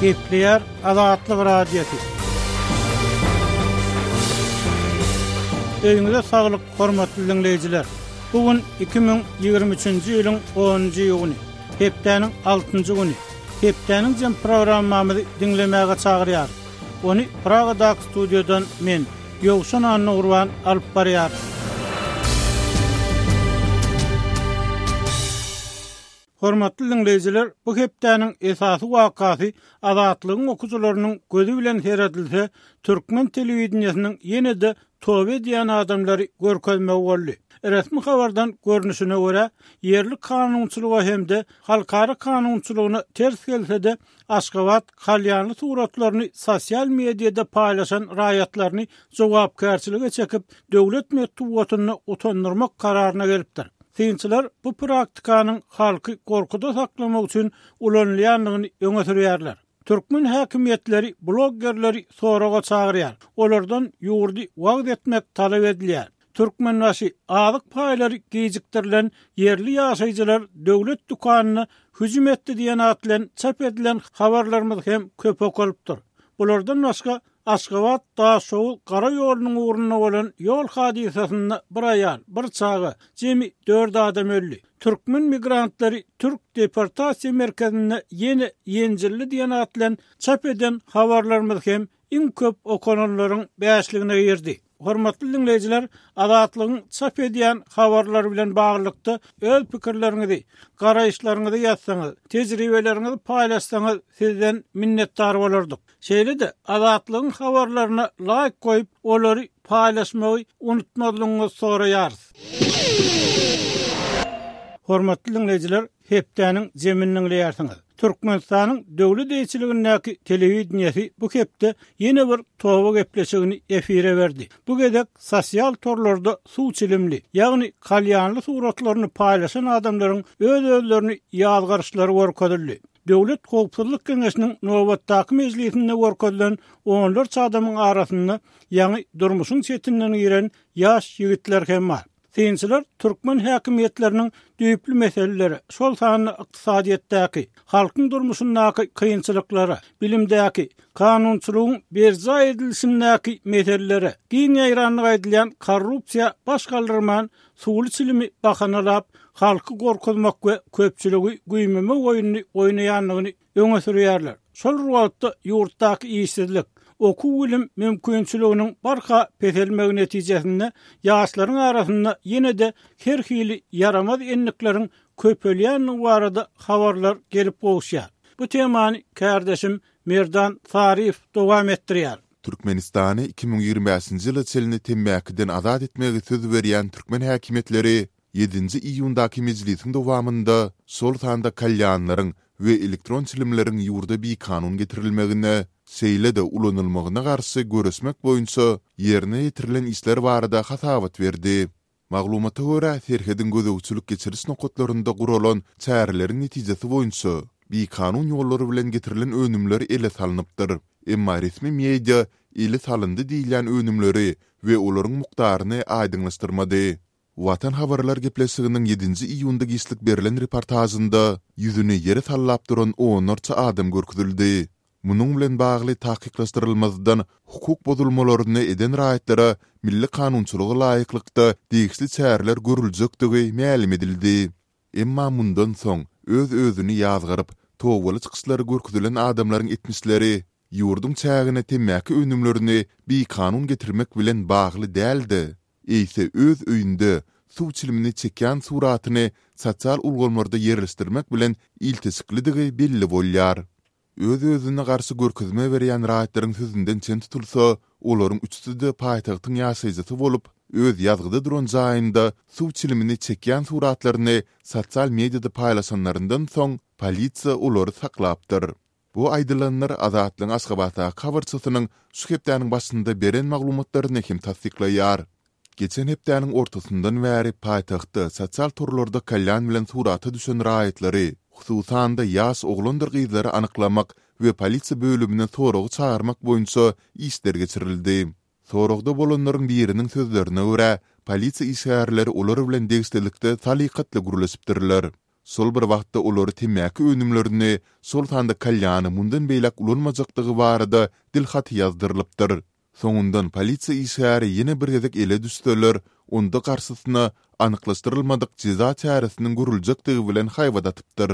Gepleýär Azatlyk Radiosy. Öýüňize saglyk, hormatly diňleýjiler! Bu gün 2023-nji ýylyň onunjy iýuny, hepdäniň altynjy güni. Hepdäniň jem programmamyzy diňlemäge çagyrýarys. Ony Pragadaky studiýadan men, Ýowşan Annagurban alyp barýaryn. Hormatly diňleýjiler, bu hepdäniň esasy wakasy Azatlygyň okyjylarynyň gözi bilen seredilse, türkmen telewideniýesiniň ýene-de toba edýän adamlary görkezmegi boldy. Resmi habardan görnüşine görä, ýerli kanunçylyga hem-de halkara kanunçylygyna ters gelse-de, Aşgabat kalýanly suratlaryny sosial mediada paýlaşan raýatlaryny jogapkärçilige çekip, döwlet metbugatynda utandyrmak kararyna gelipdir. Synçylar bu praktikanyň halky gorkuda saklamak üçin ulanylýandygyny öňe sürýärler. Türkmen häkimiýetleri bloggerleri soraga çagyrýar, olardan ýurdy wagyz etmek talap edilýär. Türkmenbaşy, azyk paýlary gijikdirilen ýerli ýaşaýjylar döwlet dükanyna hüjüm etdi diýen at bilen çap edilen habarlarymyz hem köp okalypdyr. Bulardan başga, Aşgabat, Daşoguz gara ýolunyň ugrunda bolan ýol hadysasynda bir aýal, bir çaga, jemi dört adam öldi. Türkmen migrantlary türk deportasiýa merkezinde ýene ýenjildi diýen at bilen çap eden habarlarymyz hem iň köp okalanlaryň bäşligine girdi. Hormatly diňleýjiler, Azatlygyň çap edýän habarlary bilen baglylykda öz pikirleriňizi, garaýyşlaryňyzy ýazsaňyz, tejribeleriňizi paýlaşsaňyz sizden minnetdar bolardyk. Şeýle-de Azatlygyň habarlaryna laýk goýup, olary paýlaşmagy unutmazlygyňyzy soraýarys. Hormatly diňleýjiler, hepdäniň jemini diňleýärsiňiz. Türkmenistanyň döwlet eýeçiligindäki telewideniýesi bu hepde ýene bir toba gepleşigini efire berdi. Bu gezek sosial torlarda suw çilimli, ýagny kalýanly suratlaryny paýlaşan adamlaryň öz-özlerini ýazgaryşlary görkezildi. Döwlet howpsuzlyk geňeşiniň nobatdaky mejlisinde görkezilen onlarça adamyň arasynda ýaňy durmuşyň çetinden giren ýaş ýigitler hem bar. Synçylar türkmen häkimiýetleriniň düýpli meselelere, şol sanda ykdysadyýetdäki, halkyň durmuşyndaky kynçylyklara, bilimdäki, kanunçylygyň berjaý edilişindäki meselelere, giň ýaýrandygy aýdylýan korrupsiýa baş galdyrman, suwly çilimi bahanalap, halky gorkuzmak we köpçüligi güýmemek oýnuny oýnaýandygyny öňe sürýärler. Şol bir wagtda ýurtdaky işsizlik, okuw-bilim mümkinçiliginiň barha peselmegi netijesinde ýaşlaryň arasynda ýene-de her hili ýaramaz endikleriň köpelýändigi barada habarlar gelip gowuşýar. Bu temany kärdeşim Merdan Saryýew dowam etdirýär. Türkmenistany 2025-nji ýyla çenli temmäkiden azat etmegi söz berýän türkmen häkimiýetleri Ýedinji iýundaky mejlisiň dowamynda şol sanda kalýanlaryň we elektron çilimleriň ýurda bikanun getirilmegine, şeýle-de ulanylmagyna garşy göreşmek boýunça ýerine ýetirilen işler barada hasabat berdi. Maglumata görä, serhediň gözegçilik-geçiriş nokatlarynda guralan çäreleriň netijesi boýunça bikanun ýollar bilen getirilen önümler ele salnypdyr. Emma resmi media ele salyndy diýilýän önümleri we olaryň mukdaryny aýdyňlaşdyrmady. Watan habarlar gepleşiginiň ýedinji iýunda giçlik berlen reportažynda ýüzüni ýere sallap duran onlarça adam görkezildi. Munuň bilen bagly takyklaşdyrylmazdan hukuk bozulmalaryny eden raýatlara milli kanunçylyga laýyklykda degişli çäreler görüljekdigi mälim edildi. Emma mundan soň öz-özüni ýazgaryp, tobaly çykyşlary görkezilen adamlaryň etmişleri ýurduň çägine temmäki önümlerini bikanun getirmek bilen bagly däl-de, eýse öz öýünde suw çilimini çekýän suratyny sosial ulgamlarda ýerleşdirmek bilen ilteşiklidigi belli bolýar. Öz-özüne garşy görkezme berýän raýatlaryň sözünden çen tutulsa, olaryň üçüsi-de paýtagtyň ýaşaýjysy bolup, öz ýazgyda duran jaýynda suw çilimini çekýän suratlaryny sosial mediada paýlaşanlaryndan soň, polisiýa olary saklapdyr. Bu aýdylanlar Azatlygyň Aşgabatdaky habarçysynyň şu hepdäniň başynda beren maglumatlaryny hem tassyklaýar. Geçen hepdäniň ortasyndan bäri paýtagtda sosial torlarda kalýan bilen surata düşen raýatlary, hususan-da ýaş oglandyr gyzlary anyklamak we polisiýa bölümine soraga çagyrmak boýunça işler geçirildi. Soragda bolanlaryň biriniň sözlerine görä, polisiýa işgärleri olar bilen degişlilikde salykatly gürleşipdirler. Şol bir wagtda olary temmäki önümlerini, şol sanda kalýany mundan beýläk ulanmajakdygy barada dil haty ýazdyrylypdyr. Soňundan polisiýa işgäri ýene bir gezek ele düşseler, onda garşysyna anyklaşdyrylmadyk jeza çäresiniň görüljekdigi bilen haýbat atypdyr.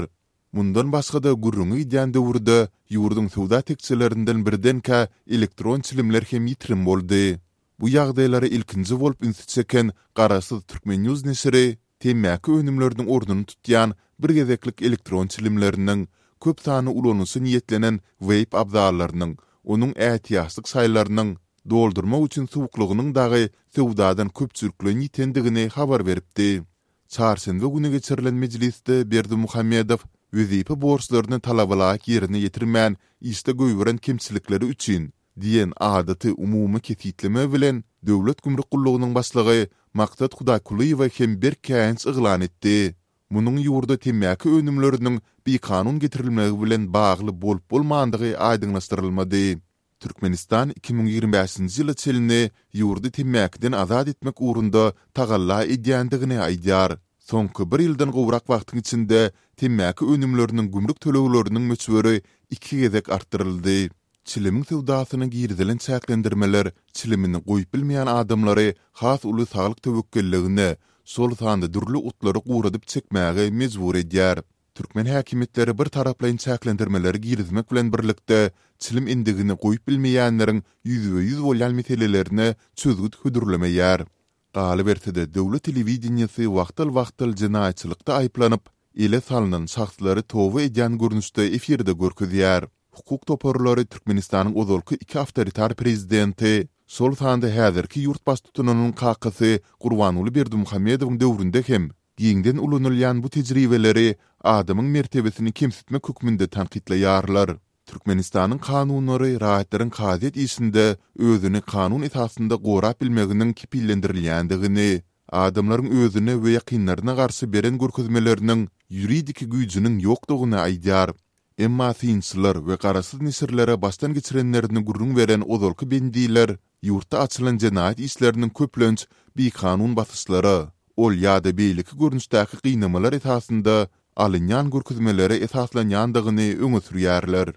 Mundan başga-da gürrüňi gidýän döwürde ýurduň söwda tekjelerinden birdenkä elektron çilimler hem ýitirim boldy. Bu ýagdaýlara ilkinji bolup ünsi çeken garaşsyz Turkmennews neşiri temmäki önümleriniň ornuny tutýan bir gezeklik elektron çilimleriniň, köp sanly ulanyşa niýetlenen weýp abzallarynyň, onuň ätiýaçlyk şaýlarynyň, doldurmak üçin suwuklygynyň dagy söwdadan köpçülikleýin ýitendigini habar beripdi. Çarşenbe güni geçirilen mejlisde Berdimuhamedow wezipe borçlaryny talabalaýyk ýerine ýetirmän işde goýberen kemçilikleri üçin diýen adaty umumy kesgitleme bilen Döwlet gümrük gullugynyň başlygy Maksat Hudaýkulyýewe hem berk käýinç yglan etdi. Munuň ýurda temmäki önümleriniň bikanun getirilmegi bilen bagly bolup-bolmandygy aýdyňlaşdyrylmady. Türkmenistan 2025-nji ýyla çenli ýurdy temmäkiden azat etmek ugrunda tagalla edýändigini aýdýar. Soňky bir ýyldan gowrak wagtyň içinde temmäki önümleriniň gümrük tölegleriniň möçberi iki gezek artdyryldy. Çilimiň söwdasyna girizilen çäklendirmeler çilimini goýup bilmeýän adamlary has uly saglyk töwekgelligine, şol sanda dürli otlary guradyp çekmäge mejbur edýär. Türkmen häkimiýetleri bir taraplaýyn çäklendirmeleri girizmek bilen birlikde, çilim endigini goýup bilmeýänleriň ýüzbe-ýüz bolýan meselelerine çözgüt hödürlemeýär. Galyberse-de, döwlet telewideniýesi wagtal-wagtal jenaýatçylykda aýyplanyp, ele salnan şahslary toba edýän görnüşde efirde görkezýär. Hukuk toparlary Türkmenistanyň ozalky iki awtoritar prezidenti, şol sanda häzirki ýurt baştutanynyň kakasy Gurbanguly Berdimuhamedowyň döwründe hem giňden ulanylýan bu tejribeleri adamyň mertebesini kemsitmek hökmünde tankytlaýarlar. Türkmenistanyň kanunlary raýatlaryň kazyýet işinde özüni kanun esasynda gorap bilmeginiň kepillendirilýändigini, adamlaryň özüne we ýakynlaryna garşy beren görkezmeleriniň ýuridiki güýjüniň ýokdugyny aýdýar. Emma synçylar we garaşsyz neşirlere başdan geçirenlerini gürrüň beren ozalky bendiler ýurtda açylan jenaýat işleriniň köplenç bikanun basyşlara, ol ýa-da beýleki görnüşdäki gynamalar esasynda alynýan görkezmelere esaslanýandygyny öňe sürýärler.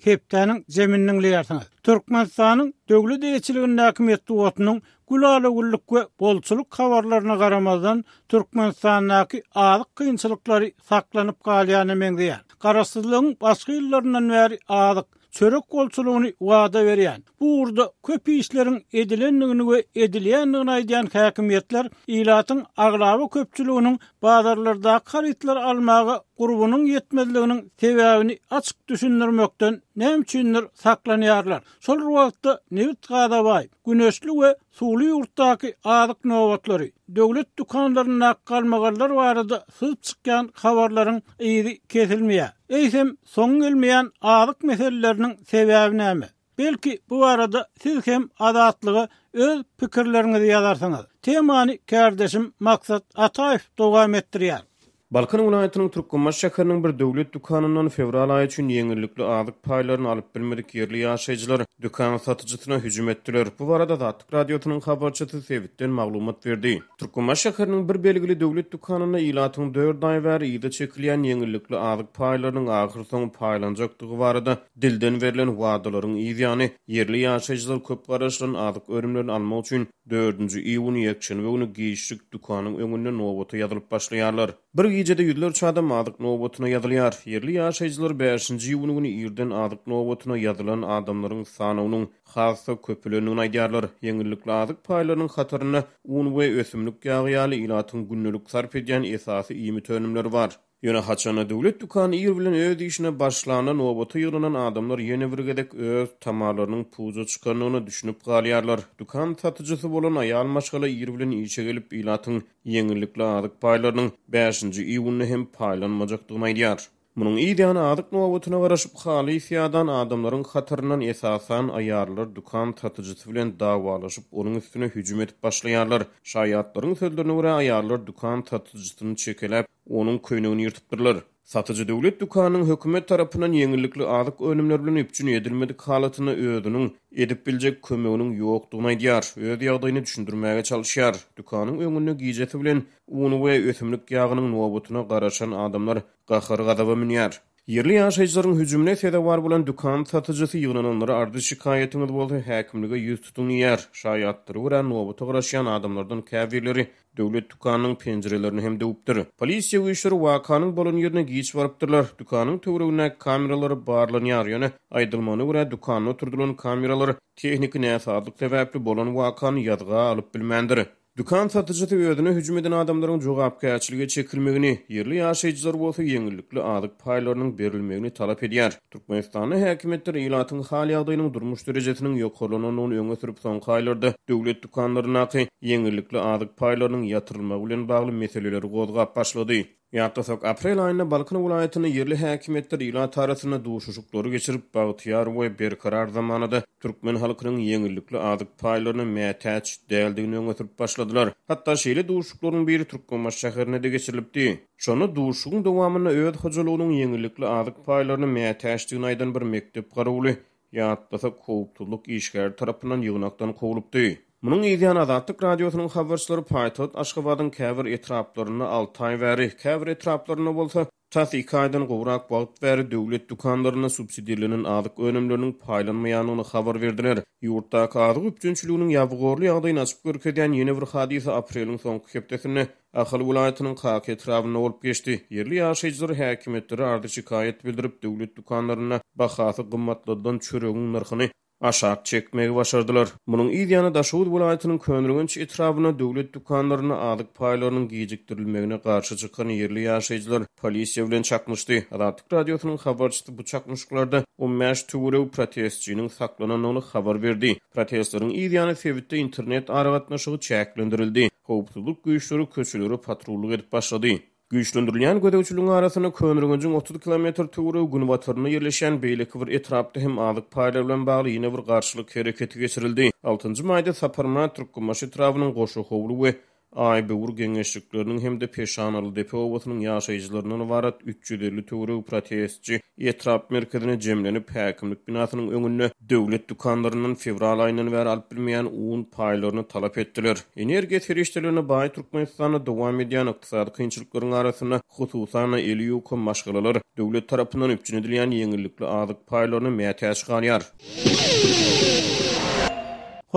Hepdäniň jemini diňleýärsiňiz. Türkmenistanyň döwlet eýeçiligindäki metbugatynyň gülala-güllük we bolçulyk habarlaryna garamazdan, Türkmenistandaky azyk kynçylyklary saklanyp galýana meňzeýär. Garaşsyzlygyň başky ýyllaryndan bäri azyk, çörek bolçulygyny wada berýän, bu ugurda köp işleriň edilendigini we edilýändigini aýdýan häkimiýetler ilatyň aglaba köpçüliginiň bazarlardaky harytlary almaga gurbunyň ýetmezliginiň sebäbini açyk düşündirmekden näme üçindir saklanýarlar. Şol bir wagtda nebit-gaza baý, güneşli we suwly ýurtdaky azyk nobatlary, döwlet dükanlaryndaky galmagallar barada syzyp çykýan habarlaryň yzy kesilmeýär. Eýsem, soňy gelmeýän azyk meseleleriniň sebäbi näme? Belki, bu barada siz hem Azatlyga öz pikirleriňizi ýazarsyňyz. Temany kärdeşim Maksat Ataýew dowam etdirýär. Balkan welaýatynyň Türkmenbaşy şäheriniň bir döwlet dükanyndan fewral aýy üçin ýeňillikli azyk paýlaryny alyp bilmedik ýerli ýaşaýjylar dükan satyjysyna hüjüm etdiler. Bu barada Azatlyk Radiosynyň habarçysy sebitden maglumat berdi. Türkmenbaşy şäheriniň bir belgili döwlet dükanynda ilatyň dört aý bäri yza çekilýän ýeňillikli azyk paýlarynyň ahyrsoňy paýlanjakdygy barada dilden berlen wadalaryň yzýany, ýerli ýaşaýjylar köp garaşylan azyk önümlerini almak üçin dördünji iýun ýekşenbe güni giçlik dükanyň öňünde nobata ýazylyp başlaýarlar. Bir gijede ýüzlerçe adam azyk nobatyna ýazylýar. Ýerli ýaşaýjylar bäşinji iýun güni irden azyk nobatyna ýazylan adamlaryň sanawynyň has-da köpelendigini aýdýarlar. Ýeňillikli azyk paýlarynyň hatarynda un we ösümlik ýagy ýaly ilatyň gündelik sarp edýän esasy iýmit önümleri bar. Ýöne haçanda döwlet dükany ir bilen öz işine başlanda nobata ýygnanan adamlar ýene bir gezek öz tamalarynyň puja çykandygyna düşünip galýarlar. Dükan satyjysy bolan aýal maşgala ir bilen işe gelip ilatyň ýeňillikli azyk paýlarynyň bäşinji iýunda hem paýlanmajakdygyny aýdýar. Munuň yz ýany azyk nobatyna garaşyp halys ýadan adamlaryň hataryndan esasan aýallar dükan satyjysy bilen dawalaşyp onuň üstüne hüjüm edip başlaýarlar. Şaýatlaryň sözlerine görä aýallar dükan satyjysyny çekeläp onuň köýnegini ýyrtypdyrlar. Satyjy döwlet dükanynyň hökümet tarapyndan ýeňillikli azyk önümleri bilen üpjün edilmedik halatynda özüniň edip biljek kömeginiň ýokdugyny aýdýar, öz ýagdaýyny düşündirmäge çalyşýar. Dükanyň öňünde gijesi bilen un we ösümlik ýagynyň nobatyna garaşan adamlar gahar-gazaba münýär. Ýerli ýaşaýjylaryň hüjümine sezewar bolan dükan satyjysy ýygnananlara arzy-şikaýatyňyz bolsa häkimlige ýüz tutuň diýýär. Şaýatlara görä, nobata garaşýan adamlardan käbirleri döwlet dükanynyň penjirelerini hem döwüpdir. Polisiýa güýçleri wakanyň bolan ýerine giç barypdyrlar. Dükanyň töweregindäki kameralar barlanýar, ýöne aýdylmagyna görä, dükanda oturdylan kameralar tehniki näsazlyk sebäpli bolan wakany ýazga alyp bilmändir. Dükan satyjysy özüne hüjüm eden adamlaryň jogapkärçilige çekilmegini, ýerli ýaşaýjylar bolsa ýeňillikli azyk paýlarynyň berilmegini talap edýär. Türkmenistanda häkimiýetler ilatyň hal-ýagdaýynyň, durmuş derejesiniň ýokarlanandygyny öňe sürüp, soňky aýlarda döwlet dükanlaryndaky ýeňillikli azyk paýlarynyň ýatyrylmagy bilen bagly meseleleri gozgap başlady. Ýatlasak, aprel aýynda Balkan welaýatynda ýerli häkimiýetler ilat arasynda duşuşyklary geçirip, bagtyýar we berkarar zamanada türkmen halkynyň ýeňillikli azyk paýlaryna mätäç däldigini öňe sürüp başladylar. Hatda şeýle duşuşyklaryň biri Türkmenbaşy şäherinde-de geçirilipdi. Şonda duşuşygyň dowamynda öz hojalygynyň ýeňillikli azyk paýlaryna mätäçdigini aýdan bir mekdep garawuly Ýatlasak, howpsuzlyk işgäri tarapyndan ýygnakdan kowlupdy. Munuň yzýany Azatlyk Radiosynyň habarçylary paýtagt Aşgabadyň käbir etraplarynda alty aý bäri, käbir etraplarynda bolsa, tas iki aýdan gowrak wagt bäri döwlet dükanlarynda subsidirlenen azyk önümleriniň paýlanmaýandygyny habar berdiler. Ýurtdaky azyk üpjünçiliginiň ýabygorly ýagdaýyny açyp görkezýän ýene bir hadysa apreliň soňky hepdesinde Ahal welaýatynyň Kaka etrabynda bolup geçdi. Ýerli ýaşaýjylar häkimiýetlere arzy-şikaýat bildirip, döwlet dükanlarynda bahasy gymmatladylan çöregiň nyrhyny aşak çekmegi başardylar. Munuň yz ýany Daşoguz welaýatynyň Köneürgenç etrabynda döwlet dükanlarynda azyk paýlarynyň gijikdirilmegine garşy çykan ýerli ýaşaýjylar polisiýa bilen çaknyşdy. Azatlyk Radiosynyň habarçysy bu çaknyşyklarda on bäş töweregi protestçiniň saklanandygyny habar berdi. Protestleriň yz ýany sebitde internet aragatnaşygy çäklendirildi. Howpsuzlyk güýçleri köçelere patrullyk edip başlady. Güýçlendirilýän gözegçiligiň arasynda Köneürgenjiň 30 kilometr töweregi günbatarynda ýerleşýän beýleki bir etrapda hem azyk paýlary bilen bagly ýene bir garşylyk hereketi geçirildi. Altynjy maýda Saparmyrat Türkmenbaşy etrabynyň Goşahowly we Aýböwür geňeşlikleriniň hem-de Peşanalydepe obasynyň ýaşaýjylaryndan ybarat 350 töweregi protestçi etrap merkezine jemlenip, häkimlik binasynyň öňünde döwlet dükanlaryndan fewral aýyndan bäri alyp bilmeýän un paýlaryny talap etdiler. Energiýa serişdelerine baý Türkmenistanda dowam edýän ykdysady kynçylyklaryň arasynda, hususan-da, eli ýuka maşgalalar döwlet tarapyndan üpjün edilýän ýeňillikli azyk paýlaryna mätäç galýar.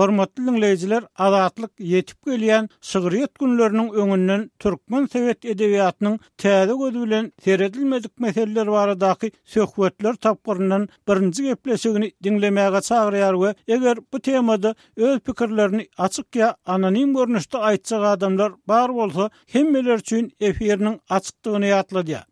Hormatly diňleýjiler, Azatlyk ýetip gelýän şygryýet günleriniň öňünden türkmen sowet edebiýatynyň täze gözi bilen seredilmedik meseleler baradaky söhbetler tapgyryndan birinji gepleşigini diňlemäge çagyrýar we eger bu temada öz pikirlerini açyk ýa anonim görnüşde aýtjak adamlar bar bolsa hemmeler üçin efiriniň açykdygyny ýatladýar.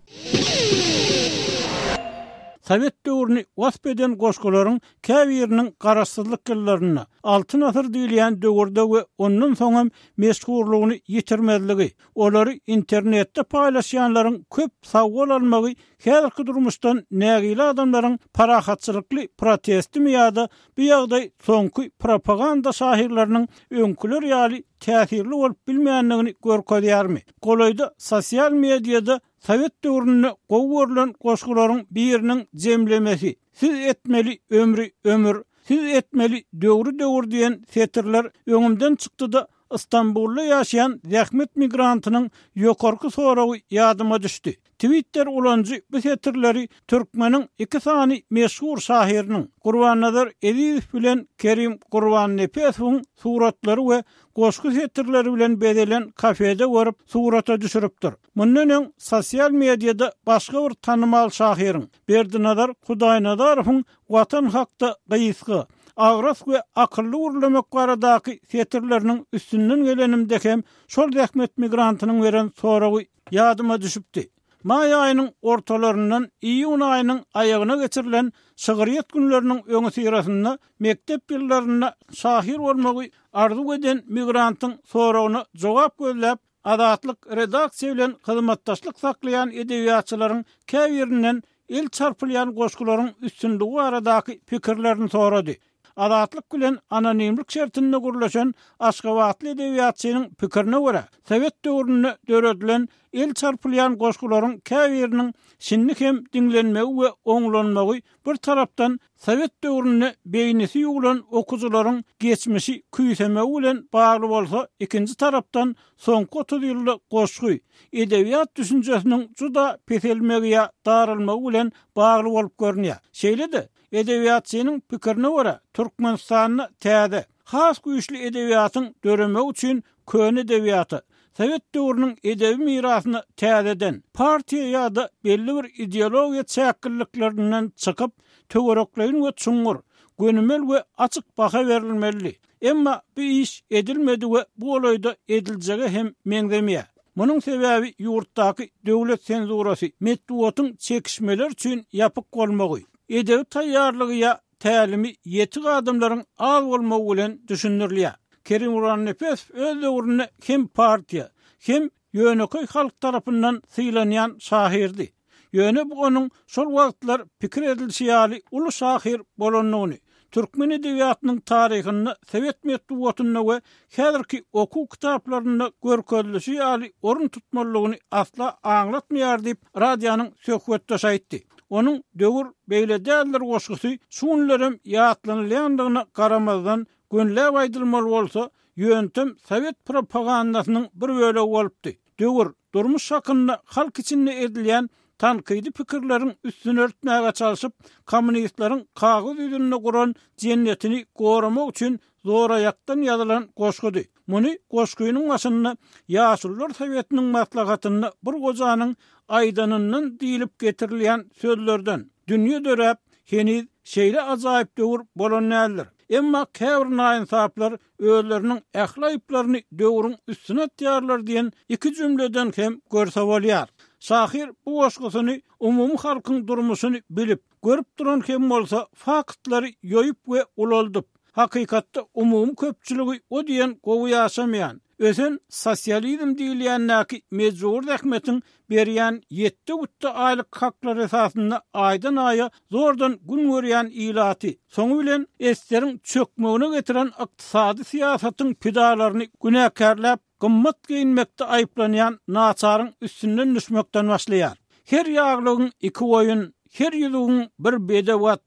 Sowet döwrüni wasp eden goşgularyň käbiriniň garaşsyzlyk ýyllarynda, Altyn asyr diýilýän döwürde we ondan soň hem meşhurlygyny ýitirmezligi, olary internetde paýlaşýanlaryň köp sawgol almagy häzirki durmuşdan nägile adamlaryň parahatçylykly protestimi ýa-da bu ýagdaý soňky propaganda şahyrlarynyň öňküler ýaly täsirli bolup bilmändigini görkezýärmi? Golaýda sosial mediada sowet döwründe gowy görlen goşgularyň biriniň jemlemesi, Siz etmeli ömri ömür, siz etmeli döwri döwür diýen setirler öňümden çykdy-da, Stambulda ýaşaýan zähmet migrantynyň ýokarky soragy ýadyma düşdi. Twitter ulanyjy bu setirleri türkmeniň iki sany meşhur şahyrynyň, Gurbannazar Ezizow bilen Kerim Gurbannepesowyň suratlary we goşgy setirleri bilen bezelen kafede görüp, surata düşüripdir. Mundan öň sosial mediada başga bir tanymal şahyryň, Berdinazar Hudaýnazarowyň Watan hakda gysga, agras we akylly gürlemek baradaky setirleriniň üstünden gelenimde hem şol zähmet migrantynyň beren soragy ýadyma düşüpdi. Maý aýynyň ortalaryndan iýun aýynyň aýagyna geçirilen şygryýet günleriniň öňüsyrasynda mekdep ýyllarynda şahyr bolmagy arzuw eden migrantyň soragyna jogap gözläp, Azatlyk redaksiýa bilen hyzmatdaşlyk saklaýan edebiýatçylaryň käbirinden el çarpylýan goşgularyň üstünligi baradaky pikirlerini sorady. Azatlyk bilen anonimlik şertinde gürleşen aşgabatly edebiýatçynyň pikirine görä, sowet döwründe döredilen el çarpylýan goşgularyň käbiriniň şindi hem diňlenmegi we oňlanmagy bir tarapdan sowet döwründe beýnisi ýuwlan okyjylaryň geçmişi küýsemegi bilen bagly bolsa, ikinji tarapdan soňky 30 ýylda goşgy, edebiýat düşünjesiniň juda peselmegi ýa daralmagy bilen bagly bolup görünýär. Şeýle-de, edebiýatçynyň pikirine görä, Türkmenistanda täze, has güýçli edebiýatyň döremegi üçin köne edebiýata, sowet döwrüniň edebi mirasyna täzeden, partiýa ýa-da belli bir ideologiýa çäkliliklerinden çykyp, töwerekleýin we çuňňur, gönümel we açyk baha berilmelidi. Emma bu iş edilmedi we bu golaýda ediljege hem meňzemeýär. Munuň sebäbi ýurtdaky döwlet senzurasy, metbugatyň çekişmeler üçin ýapyk bolmagy, edebi taýýarlygy ýa tälimi ýetik adamlaryň az bolmagy bilen düşündirilýär. Kerim Gurbannepesow öz döwründe hem partiýa, hem ýönekeý halk tarapyndan sylanýan şahyrdy. Ýöne bu onuň şol wagtlar pikir edilişi ýaly uly şahyr bolandygyny, türkmen edebiýatynyň taryhynda sowet metbugatynda we häzirki okuw kitaplarynda görkezilişi ýaly orun tutmalydygyny asla aňlatmaýar diýip, radionyň söhbetdeşi aýtdy. Onuň Döwür beýle däldir goşgusy şu günlerem ýatlanylýandygyna garamazdan, gönüläp aýdylmaly bolsa, ýöntem sowet propagandasynyň bir bölegi bolupdy. Döwür, durmuş hakynda halk içinde edilýän tankydy pikirleriň üstüni örtmäge çalşyp, kommunistleriň kagyz ýüzünde guran jennetini goramak üçin zoraýakdan ýazylan goşgudy. Muny goşgynyň başynda Ýaşulular sowetiniň maslahatynda bir gojanyň aýdanyndan diýlip getirilýän sözlerden, Dünýe döräp, heniz şeýle ajaýyp döwür bolan däldir. Emma käbir naýynsaplar özleriniň ähli aýyplaryny döwrüň üstüne atýarlar diýen iki jümleden hem görse bolýar. Şahyr bu goşgusyny umumy halkyň durmuşyny bilip, görüp duran hem bolsa faktlary ýoýup we ulaldyp, hakykatda umumy köpçüligi o diýen gowy ýaşamaýan, ösen sosializm diýilýändäki mejbury zähmetiň berýän ýetde-gütde aýlyk haklary esasynda aýdan-aýa zordan gün görýän ilaty, soňy bilen eseriň çökmegine getiren ykdysady syýasatyň pidalaryny günäkärläp, gymmat geýinmekde aýyplanýan naçaryň üstünden düşmekden başlaýar. Her ýaglygyň iki goýun, her ýüzügiň bir bedew at,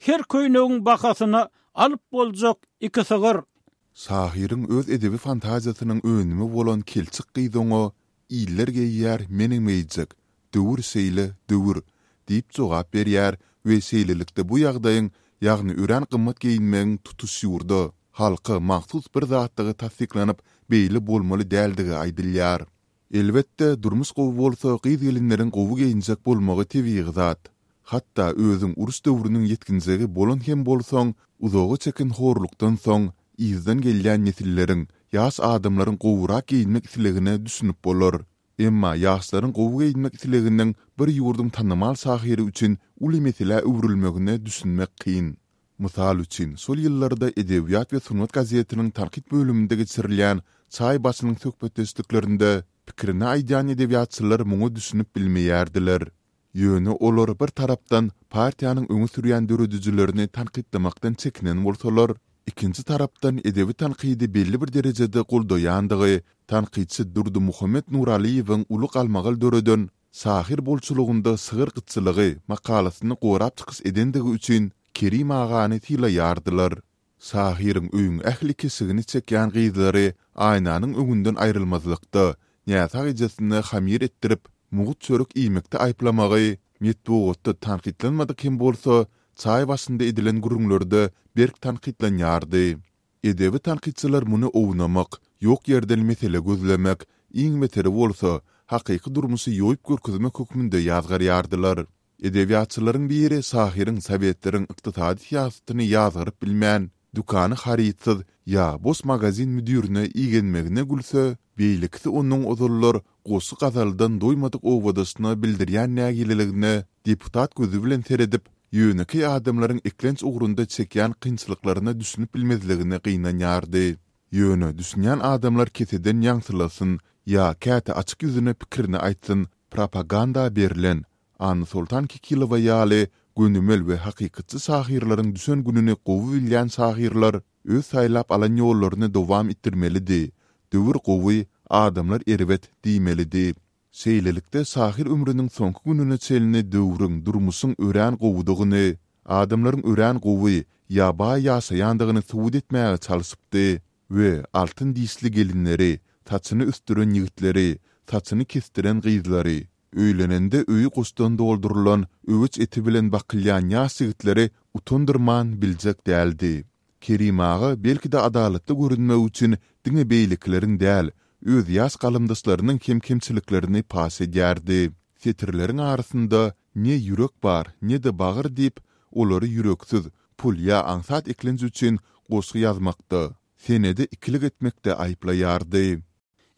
her köýnegiň bahasyna alyp boljak iki sygyr. Şahyryň öz edebi fantaziýasynyň önümi bolan Kelçik gyz oňa, Iller geýýär, menem geýjek. Döwür şeýle, döwür! diýip jogap berýär we şeýlelikde bu ýagdaýyň, ýagny örän gymmat geýinmegiň tutuş ýurda, halka mahsus bir zatdygy tassyklanyp, beýle bolmaly däldigi aýdylýar. Elbetde, durmuş gowy bolsa gyz-gelinleriň gowy geýinjek bolmagy tebigy zat. Hatda özüň uruş döwrüniň ýetginjegi bolan hem bolsaň, uzaga çeken horlukdan soň, yzdan gelýän nesilleriň, ýaş adamlaryň gowurak geýinmek islegine düşünip bolar. Emma ýaşlaryň gowy geýinmek isleginiň bir ýurduň tanymal şahyry üçin uly meselä öwrülmegine düşünmek kyn. Mysal üçin, şol ýyllarda Edebiýat we sungat gazetiniň tankyt bölüminde geçirilýän çaý başynyň söhbetdeşliklerinde pikirini aýdýan edebiýatçylar muňa düşünip bilmeýärdiler. Ýöne olar bir tarapdan partiýanyň öňe sürýän döredijilerini tankytlamakdan çekinen bolsalar, ikinji tarapdan edebi tankydy belli bir derejede goldaýandygy tankytçy Durdymuhammet Nuralyýewiň uly galmagal döreden Şahyr bolçulygynda şygyr gytçylygy makalasyny gorap çykyş edendigi üçin Kerim agany sylaýardylar. Şahyryň öýüň ähli keşigini çekýän gyzlary aýnanyň öňünden aýrylmazlykda, näsag ejesine hamyr etdirip, mugt çörek iýmekde aýyplamagy, metbugatda tankytlanmadyk hem bolsa, çaý başynda edilen gürrüňlerde berk tankytlanýardy. Edebi tankytçylar muny ownamak, ýok ýerden mesele gözlemek, iň beteri bolsa, hakyky durmuşy ýoýup görkezmek hökmünde ýazgarýardylar. Edebiýatçylaryň biri şahyryň sowetleriň ykdysady syýasatyny ýazgaryp bilmän, dükany harytsyz ýa boş magazin müdirine igenmegine gülse, beýlekisi onuň ozallar goşgy-gazaldan doýmadyk obadaşyna bildirýän nägileligine deputat gözi bilen seredip, ýönekeý adamlaryň eklenç ugrunda çekýän kynçylyklaryna düşünip bilmezligine gynanýardy. Ýöne düşünýän adamlar keseden ýaňsylasyn ýa käte açyk ýüzüne pikirini aýtsyn, propaganda berlen, Annasoltan Kekilowa ýaly. Gönümel we hakykatçy şahyrlaryň düşen gününi gowy bilýän şahyrlar öz saýlap alan ýollaryny dowam etdirmelidi, döwür gowy, adamlar erbet diýmelidi. Şeýlelikde, şahyr ömrüniň soňky gününe çenli döwrüň, durmuşyň örän gowudygyny, adamlaryň örän gowy ýa baý ýaşaýandygyny subut etmäge çalşypdy we altyn dişli gelinleri, saçyny ösdüren ýigitleri, saçyny kesdiren gyzlary, öýlenende öýi goşdan doldurylan öweç eti bilen bakylýan ýaş ýigitleri utandyrman biljek däldi. Kerim aga belki-de adalatly görünmek üçin diňe beýlekileriň däl, öz ýaş galamdaşlarynyň hem kemçiliklerini paş edýärdi. Setirleriň arasynda ne ýürek bar, ne-de bagyr diýip, olary ýüreksiz, pul ýa aňsat eklenç üçin goşgy ýazmakda, senede ikilik etmekde aýyplaýardy.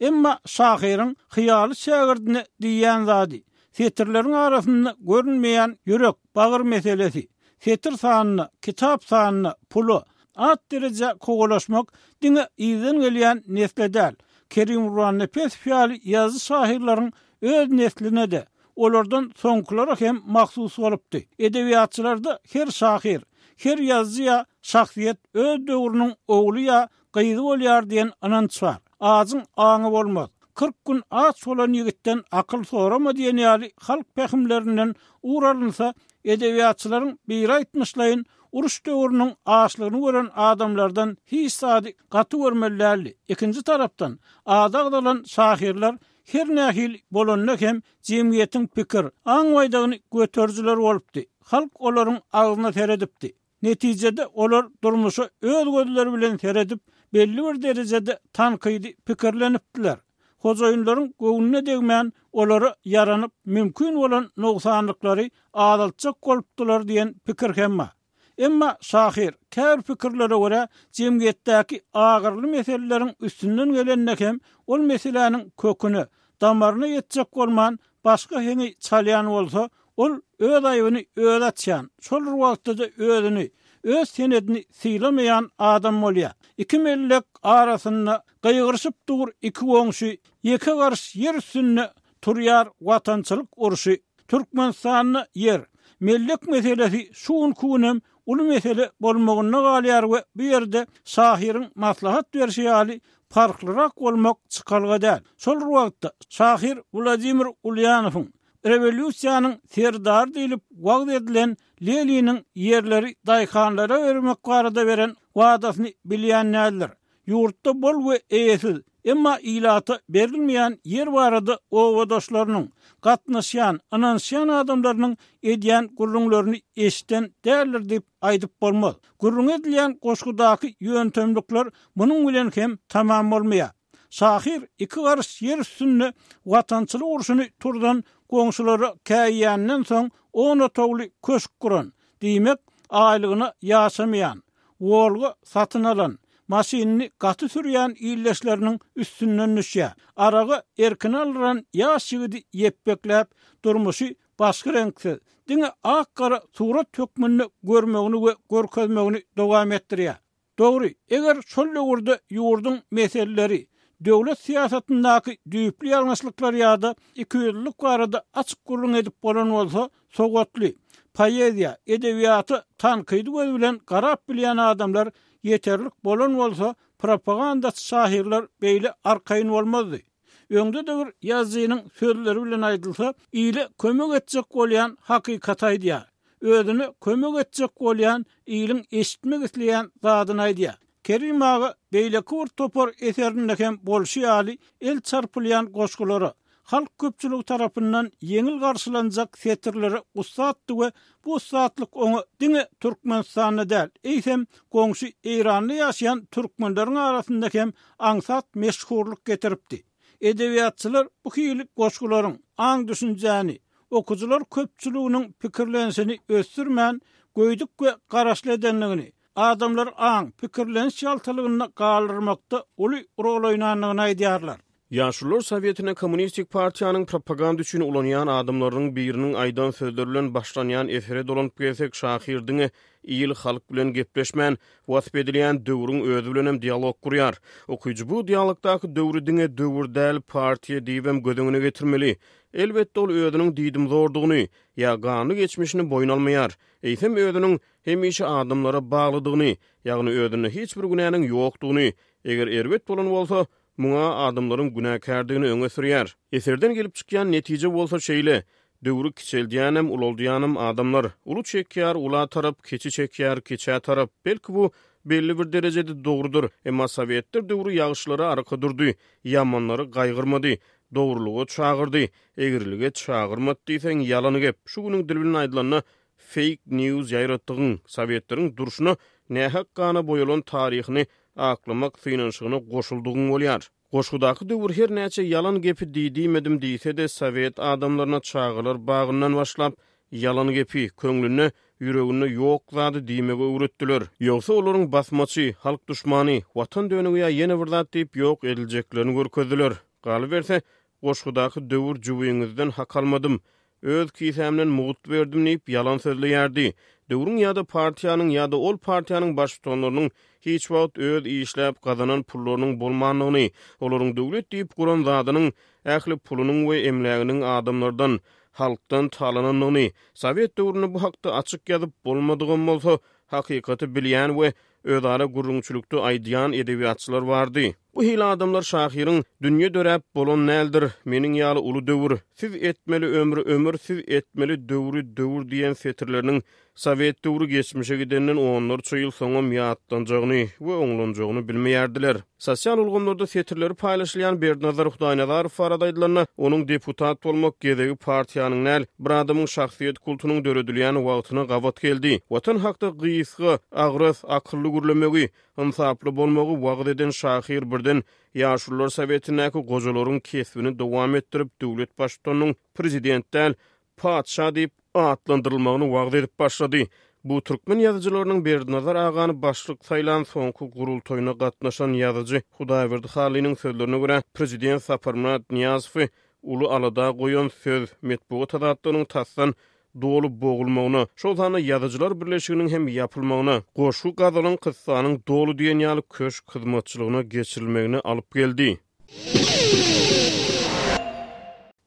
Emma şahyryň hyýaly şägirdine diýýän zady, setirleriň arasynda görünmeýän ýürek, bagyr meselesi. Setir sanyna, kitap sanyna, pula, at-derejä kowalaşmak diňe yzdan gelýän nesle däl, Kerim Gurbannepesow ýaly ýazyjy-şahyrlaryň öz nesline-de, olardan soňkulara hem mahsus bolupdy. Edebiýatçylarda her şahyr, her ýazyjy ýa şahsyýet öz döwrüniň ogly ýa gyzy bolýar diýen ynanç bar. Ajyň aňy bolmaz. 40 gün aç bolan ýigitden akyl sorama diýen ýaly halk pähimlerinden ugur alynsa, edebiýatçylaryň biri aýtmyşlaýyn, uruş döwrüniň açlygyny gören adamlardan hiç zady gaty görmeli däldi. Ikinji tarapdan, ady agzalan şahyrlar her nähili bolanda hem jemgyýetiň pikir, aň baýdagyny göterijiler bolupdy. Halk olaryň agzyna seredipdi. Netijede, olar durmuşa öz gözleri bilen seredip, belli bir derejede tankydy pikirlenipdiler. Hojaýynlaryň göwnüne degmän, olara ýaranyp, mümkin bolan nogsanlyklary azaltjak bolupdylar diýen pikir hem bar. Emma şahyr, käbir pikirlere görä, jemgyýetdäki agyrly meseleleriň üstünden gelende hem ol meseläniň köküne, damaryna ýetjek bolman, başga heňi çalýan bolsa, Ol öz aýbyny özi açýan, şol bir wagtda-da özüni, öz senedini sylamaýan adam bolýar. Iki mellek arasynda gygyryşyp dur iki goňşy, ýeke garyş ýer üstünde turýar watançylyk urşy. Türkmenistanda ýer, mellek meselesi şu günki günem uly mesele bolmagynda galýar we bu ýerde şahyryň maslahat berşi ýaly parhlyrak bolmak çykalga däl. Şol bir wagtda şahyr Wladimir Ulýanowyň Rewolýusiýanyň serdary diýlip wagyz edilen Leniniň ýerleri daýhanlara bermek barada beren wadasyny bilýän däldir. Ýurtda bol we eýesiz, emma ilata berilmeýän ýer barada obadaşlarynyň, gatnaşýan, ynanyşýan adamlarynyň edýän gürrüňlerini eşiden däldir diýip aýdyp bolmaz. Gürrüňi edilýän goşgudaky ýöntemlikler munuň bilen hem tamam bolmaýar. Şahyr iki garyş ýer üstünde watançylyk urşuny turzan goňşulara käýýänden soň on otagly köşk guran, diýmek, aýlygyna ýaşamaýan, Wolga satyn alan, maşynyny gaty sürýän ildeşleriniň üstünden düşýär. Aragy erkine aldyran ýaş ýigidi ýepbekläp, durmuşy başga reňksiz, diňe ak-gara surat hökmünde görmegini we görkezmegini dowam etdirýär. Dogry, eger şol döwürde ýurduň meseleleri, döwlet syýasatyndaky düýpli ýalňyşlyklar ýa-da ikiýüzlülik barada açyk gürrüň edip bolan bolsa, sowatly, poeziýa, edebiýata tankydy göz bilen garap bilýän adamlar ýeterlik bolan bolsa, propagandaçy şahyrlar beýle arkaýyn bolmazdy. Öňde-de bir ýazyjynyň sözleri bilen aýdylsa, ile kömek etjek bolýan hakykaty aýdýar. Özüne kömek etjek bolýan iliň eşitmek isleýän zadyny aýdýar. Kerim aga beýleki bir topar eserinde hem bolşy ýaly el çarpylýan goşgulara, halk köpçüligi tarapyndan ýeňil garşylanjak setirlere ussatdy we bu ussatlyk oňa diňe Türkmenistanda däl, eýsem, goňşy Eýranda ýaşaýan türkmenleriň arasynda hem aňsat meşhurlyk getiripdi. Edebiýatçylar bu hili goşgularyň aň-düşünjäni, okyjylar köpçüliginiň pikirlenişini ösdürmän, göýdük we garaşly edendigini, adamlary aň, pikirleniş ýaltalygynda galdyrmakda uly rol oýnandygyny aýdýarlar. Ýaşulular sowetine Kommunistik partiýanyň propaganda üçin ulanýan adamlarynyň biriniň aýdan sözleri bilen başlanýan esere dolanyp gelsek, şahyr diňe il-halk bilen gepleşmän, wasp edilýän döwrüň özi bilenem dialog gurýar. Okyjy bu dialogdaky döwri diňe döwür däl, partiýa diýibem göz öňüne getirmeli. Elbetde, ol özüniň diýdimzordugyny, ýa ganly geçmişini boýun almaýar. Eýsem, özüniň hemişe adamlara baglydygyny, ýagny özünde hiç bir günäniň ýokdugyny, eger erbet bolan bolsa, muňa adamlaryň günäkärdigini öňe sürýär. Eserden gelip çykýan netije bolsa şeýle, döwri kiçeldýänem, ulaldýanam adamlar. Uly çekýär ula tarap, kiçi çekýär kiçä tarap. Belki bu belli bir derejede dogrudyr. Emma sowetler döwri ýagşylara arka durdy, ýamanlary gaýgyrmady, dogrulyga çagyrdy, egrilige çagyrmady diýseň ýalan gep. Şu günüň dili bilen aýdylanda Fake news ýaýratdygyň, sowetleriň durşuna nähak gana boýalan taryhyny aklamak synanyşygyna goşuldygyň bolýar. Goşgudaky döwür her näçe ýalan gepi diý-diýmedim diýse-de, sowet adamlaryna çagalar bagyndan başlap, ýalan gepi, köňlünde, ýüreginde ýok zady diýmegi öwretdiler. Ýogsa olaryň basmaçy, halk duşmany, watan dönügi ýa ýene bir zat diýip ýok ediljeklerini görkezdiler. Galyberse, goşgudaky döwür jübiňizden hak almadym, Öz kisämden mugt berdim diýip ýalan sözleýärdi. Döwrüň ýa-da partiýanyň ýa-da ol partiýanyň baştutanlarynyň hiç wagt öz işläp gazanan pullarynyň bolmandygyny, olaryň döwlet diýip guran zadynyň ähli pulunyň we emläginiň adamlardan, halkdan talanandygyny, sowet döwründe bu hakda açyk ýazyp bolmadygam bolsa, hakykaty bilýän we özara gürrüňçilikde aýdýan edebiýatçylar bardy. Bu hili adamlar şahyryň Dünýe döräp bolan däldir, meniň ýaly uly döwür, Siz etmeli ömri ömür, siz etmeli döwri döwür diýen setirleriniň sowet döwri geçmişe gidenden onlarça ýyl soňam ýatlanjagyny we oňlanjagyny bilmeýärdiler. Sosial ulgamlarda setirleri paýlaşylýan Berdinazar Hudaýnazarow barada aýdylanda, onuň deputat bolmak gezegi partiýanyň däl, bir adamyň şahsyýet kultunyň döredilýän wagtyna gabat geldi. Watan hakda gysga, agras, akylly gürlemegi, ynsaply bolmagy wagyz eden şahyr birden Ýaşulular sowetindäki gojalaryň kesbini dowam etdirip, döwlet baştutanynyň prezident däl, patyşa diýip atlandyrylmagyny wagyz edip başlady. Bu türkmen ýazyjylarynyň Berdinazar agany başlyk saýlan soňky gurultaýyna gatnaşan ýazyjy Hudaýberdi Hallynyň sözlerine görä, prezident Saparmyrat Nyýazowy uly alada goýan söz, metbugat azatlygynyň tasdan doly bogulmagyna, şol sanda Ýazyjylar birleşiginiň hem ýapylmagyna, goşgy-gazalyň, kyssanyň doly diýen ýaly köşk hyzmatçylygyna geçirilmegine alyp geldi.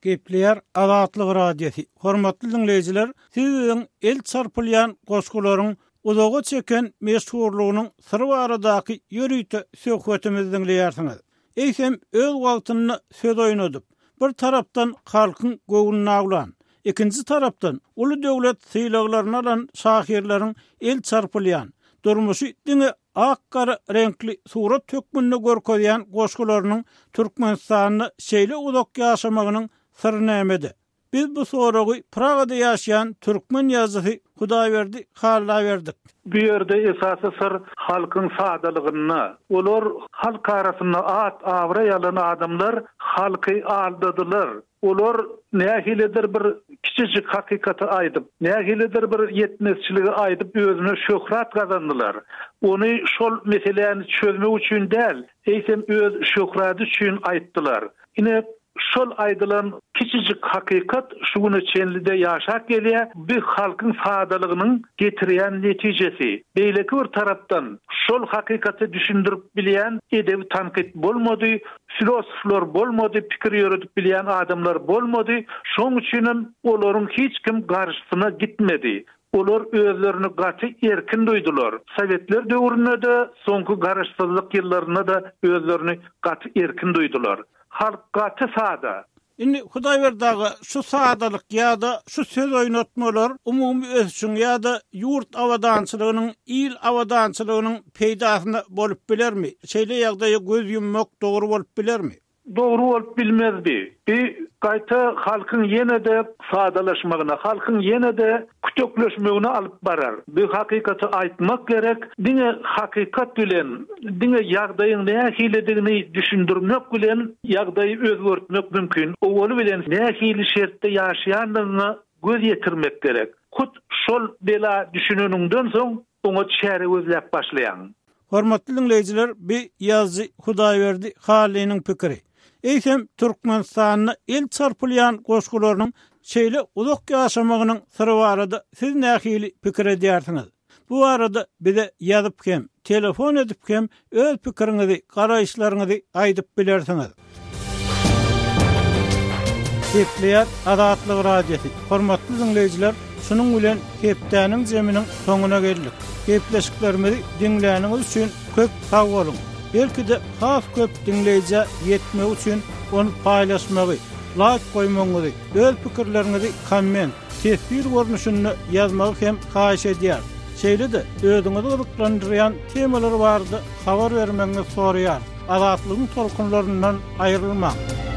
Gepleýär Azatlyk Radiosy. Hormatly diňleýjiler, siz biziň el çarpylýan goşgularyň uzaga çeken meşhurlygynyň syry baradaky ýörite söhbetimizi diňleýärsiňiz. Eýsem, öz wagtynda söz oýnadyp, bir tarapdan halkyň göwnüni awlan, ikinji tarapdan uly döwlet sylaglaryny alan şahyrlaryň el çarpylýan, durmuşy diňe ak-gara reňkli surat hökmünde görkezýän goşgularynyň Türkmenistanda şeýle uzak ýaşamagynyň syry nämede? Biz bu soragy Pragada ýaşaýan türkmen ýazyjysy Hudaýberdi Halla berdik. Bu ýerde esasy syr halkyň sadalygynda. Olar halk arasynda at-abraý alan adamlar halky aldadylar. Olar nähilidir bir kiçijik hakykaty aýdyp, nähilidir bir ýetmezçiligi aýdyp özüne şöhrat gazandylar. Ony şol meseläni çözmek üçin däl, eýsem öz şöhrady üçin aýtdylar. Ine, Şol aýdylan kiçijik hakykat şu güne çenli-de ýaşap gelýär. Bu halkyň sadalygynyň getirýän netijesi. Beýleki bir tarapdan, şol hakykaty düşündirip bilýän edebi tankyt bolmady, filosoflar bolmady, pikir ýöredip bilýän adamlar bolmady. Şonuň üçinem olaryň hiç kim garşysyna gitmedi. Olar özlerini gaty erkin duýdular. Sowetler döwründe-de, soňky garaşsyzlyk ýyllarynda-da özlerini gaty erkin duýdular. Halk gaty sada. Indi Hudaýberdi aga, şu sadalyk ýa-da şu söz oýnatmalar umumy ösüşiň ýa-da ýurt abadançylygynyň, il abadançylygynyň peýdasyna bolup bilermi? Şeýle ýagdaýa göz ýummak dogry bolup bilermi? Dogry bolup bilmezdi. Bi gaýta halkyň ýene-de sadalaşmagyna, halkyň ýene-de kütekleşmegine alyp barar. Bi hakykaty aýtmak gerek, diňe hakykat bilen, diňe ýagdaýyň nähilidigini düşündirmek bilen ýagdaýy özgertmek mümkin. Owaly bilen nähili şertde ýaşaýandygyňa göz ýetirmek gerek. Hut şol bela düşüneniňden soň oňa çäre gözläp başlaýaň. Hormatly diňleýjiler bi ýazyjy Hudaýberdi Hallynyň pikiri. Eýsem, Türkmenistanda el çarpylýan goşgularynyň şeýle uzak ýaşamagynyň syry barada siz nähili pikir edýärsiňiz? Bu barada bize ýazyp hem, telefon edip hem öz pikiriňizi, garaýyşlaryňyzy aýdyp bilersiňiz. Gepleýär Azatlyk Radiosy. Hormatly diňleýjiler, şunuň bilen hepdäniň jeminiň soňuna geldik. Gepleşiklerimizi diňläniňiz üçin köp sag boluň! Belki-de has köp diňleýjä ýetmegi üçin ony paýlaşmagy, laýk goýmagyňyzy, öz pikirleriňizi komment, teswir görnüşinde ýazmagy hem haýyş edýäris. Şeýle-de özüňizi gyzyklandyrýan temalar barada habar bermegiňizi soraýarys. Azatlygyň tolkunlaryndan aýrylmaň!